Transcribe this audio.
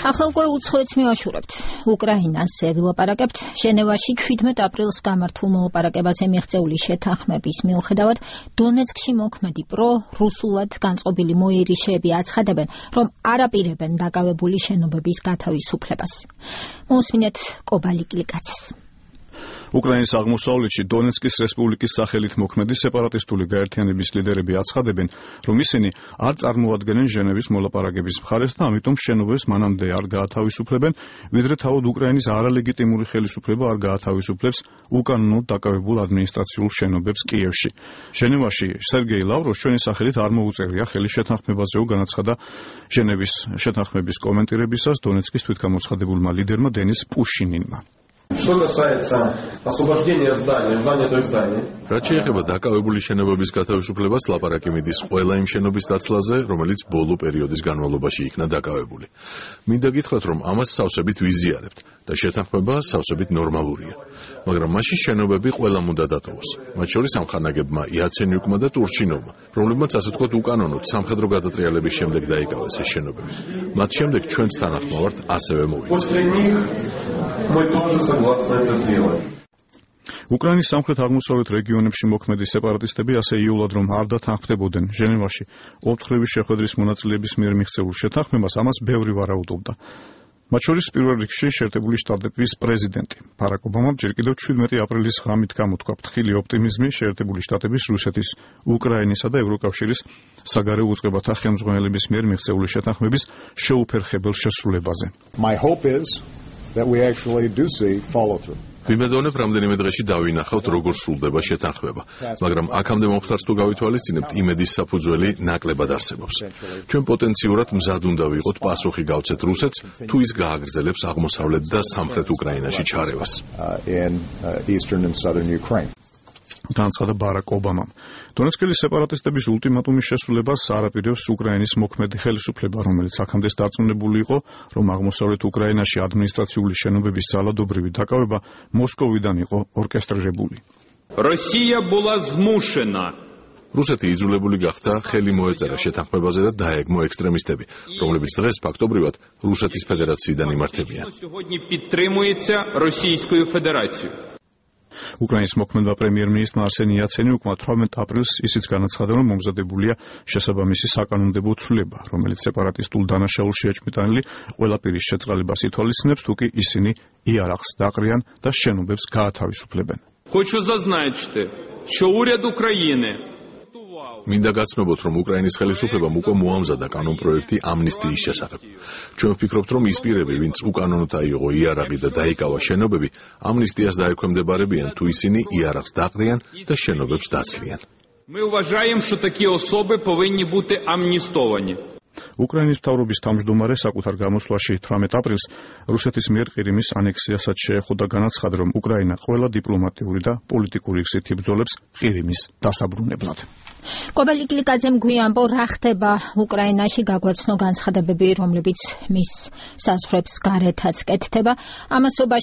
ახლა უკვე უცხოეთს მივაშურებთ. უკრაინას ვილაპარაკებთ. ჟენევაში 17 აპრილს გამართულ მოლაპარაკებაზე მიღწეული შეთანხმების მიუხედავად, დონეცკში მოქმედი პრო-რუსულად განწყობილი მოიერიშეები აცხადებენ, რომ არ აპირებენ დაკავებული შენობების გათავისუფლებას. მოსმინეთ კობალიკლიკაცეს. უკრაინის აღმოსავლეთში დონეცკის რესპუბლიკის სახელით მოქმედი სეპარატისტული გაერთიანების ლიდერები აცხადებენ, რომ ისინი არ წარმოადგენენ ჟენევის მოლაპარაკების მხარეს და ამიტომ შენობებს მანამდე არ გაათავისუფლებენ, ვიდრე თავად უკრაინის არალეგიტიმური ხელისუფლება არ გაათავისუფლებს უკანონოდ დაკავებულ ადმინისტრაციულ შენობებს კიევში. ჟენევაში სერგეი ლავროვს ჩვენი სახელით არ მოუწერია ხელი შეთანხმებაზეო განაცხადა ჟენევის შეთანხმების კომენტირებისას დონეცკის თვითგამოცხადებულმა ლიდერმა დენის პუშინინმა. Что касается освобождения здания, занятых зданий. რაც შეეხება დაკავებული შენობების გათავისუფლებას, ლაპარაკი მიდის ყველა იმ შენობის დაცლაზე, რომელიც ბოლო პერიოდის განმავლობაში იქნა დაკავებული. მინდა გითხრათ, რომ ამას სავსებით ვიზიარებთ და შეთანხმება სავსებით ნორმალურია. მაგრამ მაშინ შენობები ყველამ უნდა დატოვოს. მათ შორის ამხანაგებმა იაცენიუკმა და ტურჩინოვმა, რომლებმაც ასე ვთქვათ უკანონოდ სამხედრო გადატრიალების შემდეგ დაიკავეს ეს შენობები. მათ შემდეგ ჩვენც თანახმოვართ ასევე მოვიცეთ. უკრაინის სამხრეთ-აღმოსავლეთ რეგიონებში მოქმედი სეპარატისტები ასე იულად რომ არ დათანხმდებოდნენ ჟენევაში ოფთხრების შეხვედრის მონაწილეების მიერ მიღწეულ შეთანხმებას, ამას ბევრი ვარაუდობდა. მათ შორის პირველ რიგში შეერთებული შტატების პრეზიდენტი ბარაკ ობამამ ჯერ კიდევ 17 აპრილის ღამით გამოთქვა ფრთხილი ოპტიმიზმი შეერთებული შტატების, რუსეთის, უკრაინისა და ევროკავშირის საგარეო უწყებათა ხელმძღვანელების მიერ მიღწეული შეთანხმების შეუფერხებელ შესრულებაზე. My hope is that we actually do see follow through. ვიმედოვნებ, რამდენიმე დღეში დავინახავთ, როგორ სრულდება შეთანხმება, მაგრამ აქამდე მომხდარს თუ გავითვალისწინებთ, იმედის საფუძველი ნაკლებად არსებობს. ჩვენ პოტენციურად მზად უნდა ვიყოთ პასუხი გავცეთ რუსეთს, თუ ის გააგრძელებს აღმოსავლეთ და სამხრეთ უკრაინაში ჩარევას. განაცხადა ბარაკ ობამამ. დონეცკელი სეპარატისტების ულტიმატუმის შესრულებას არ აპირებს უკრაინის მოქმედი ხელისუფლება, რომელიც აქამდე დარწმუნებული იყო, რომ აღმოსავლეთ უკრაინაში ადმინისტრაციული შენობების ძალადობრივი დაკავება მოსკოვიდან იყო ორკესტრირებული. Россия была змушена. რუსეთი იძულებული გახდა ხელი მოეწერა შეთანხმებაზე და დაეგმო ექსტრემისტები, რომლებიც დღეს ფაქტობრივად რუსეთის ფედერაციიდან იმართებიან. უკრაინის მოქმედმა პრემიერ-მინისტრმა არსენი იაცენიუკმა 18 აპრილს ისიც განაცხადა, რომ მომზადებულია შესაბამისი საკანონმდებლო ცვლილება, რომელიც სეპარატისტულ დანაშაულში ეჭვმიტანილი ყველა პირის შეწყალებას ითვალისწინებს, თუ კი ისინი იარაღს დაყრიან და შენობებს გაათავისუფლებენ. Хочу зазначити, що уряд України მინდა გაცნობოთ, რომ უკრაინის ხელისუფლებამ უკვე მოამზადა კანონპროექტი ამნისტიის შესახებ. ჩვენ ვფიქრობთ, რომ ის პირები, ვინც უკანონოდ აიღო იარაღი და დაიკავა შენობები, ამნისტიას დაექვემდებარებიან, თუ ისინი იარაღს დაყრიან და შენობებს დაცლიან. Ми вважаємо, що такі особи повинні бути амністовані. უკრაინის მთავრობის თავმჯდომარე საკუთარ გამოსვლაში 18 აპრილს რუსეთის მიერ ყირიმის ანექსიასაც შეეხო და განაცხადა, რომ უკრაინა ყველა დიპლომატიური და პოლიტიკური გზით იბრძოლებს ყირიმის დასაბრუნებლად. კობალიკლიკაძემ გვიანბო, რა ხდება უკრაინაში, გაგვაცნო განცხადებები, რომლებიც მის საზღვრებს გარეთაც კეთდება. ამასობაში